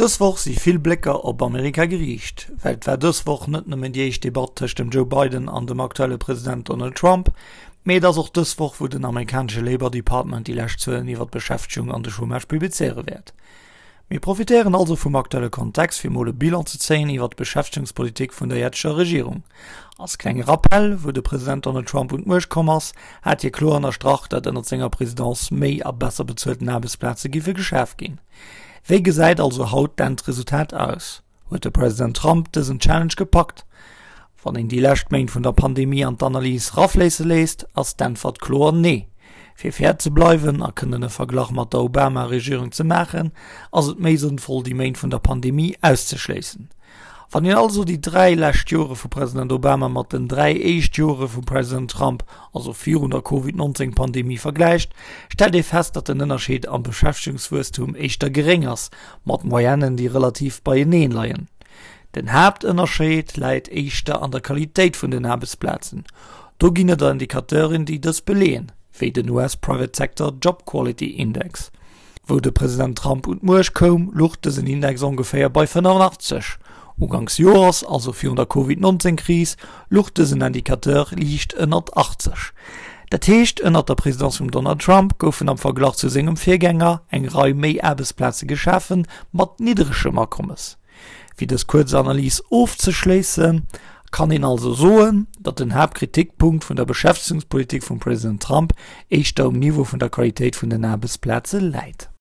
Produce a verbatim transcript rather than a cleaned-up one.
Dës Woch si vill Blécker op Amerika geriicht, well et war dës Woch net nëmmen déi éischt Debatt tëscht dem Joe Biden an dem aktuelle President Donald Trump, mee et ass och dës Woch, wou den amerikanesche Labor Department déi lescht Zuelen iwwer d'Beschäftegung an de Chômage publizéiere wäert. Mir profitéieren also vum aktuelle Kontext, fir mol e Bilan ze zéien iwwer d'Beschäftegungspolitik vun der jetzeger Regierung. Als klenge Rappell, wou de President Donald Trump un d'Muecht komm ass, hat hie kloer ënnerstrach, datt ënnert senger Presidence méi a besser bezuelten Aarbechtsplaze giffe geschaf ginn. Wéi gesäit also haut d'Endresultat aus? Huet de President Trump dësen Challenge gepackt? Wann een déi lescht Méint vun der Pandemie an d'Analys rafléisse léisst, ass d'Äntwert kloer nee. Fir fair ze bleiwen a kënnen e Verglach mat der Obama-Regierung ze maachen, ass et méi sënnvoll déi Méint vun der Pandemie auszeschléissen. Wann een also déi dräi lescht Jore vu President Obama mat den dräi éischt Jore vum President Trump, also virun der Covid nonzéng Pandemie, vergläicht, stellt ee fest, datt den Ënnerscheed am Beschäftegungswuesstum éischter geréng ass, mat Moyennen, déi relativ beieneen leien. Den Haaptënnerscheed läit éischter an der Qualitéit vun den Aarbechtsplazen. Do ginn et Indicateuren, déi dës beleeën, wéi den U S Private Sector Job Quality Index. Wou de President Trump un d'Muecht koum, luch dësen Index ongeféier bei fënnefenachtzeg. Uganks Joers, also virun der Covid nonzéng Kris, luch dësen Indicateur liicht ënnert achtzeg. Dat heescht, ënnert der Presidence vum Donald Trump goufen am Verglach zu sengem Virgänger eng Rei méi Aarbechtsplaze geschafe mat nidderegem Akommes. Fir dës kuerz Analys ofzeschléissen, kann een also soen, datt den Haaptkritikpunkt vun der Beschäftegungspolitik vum President Trump éischter um Niveau vun der Qualitéit vun den Aarbechtsplaze läit.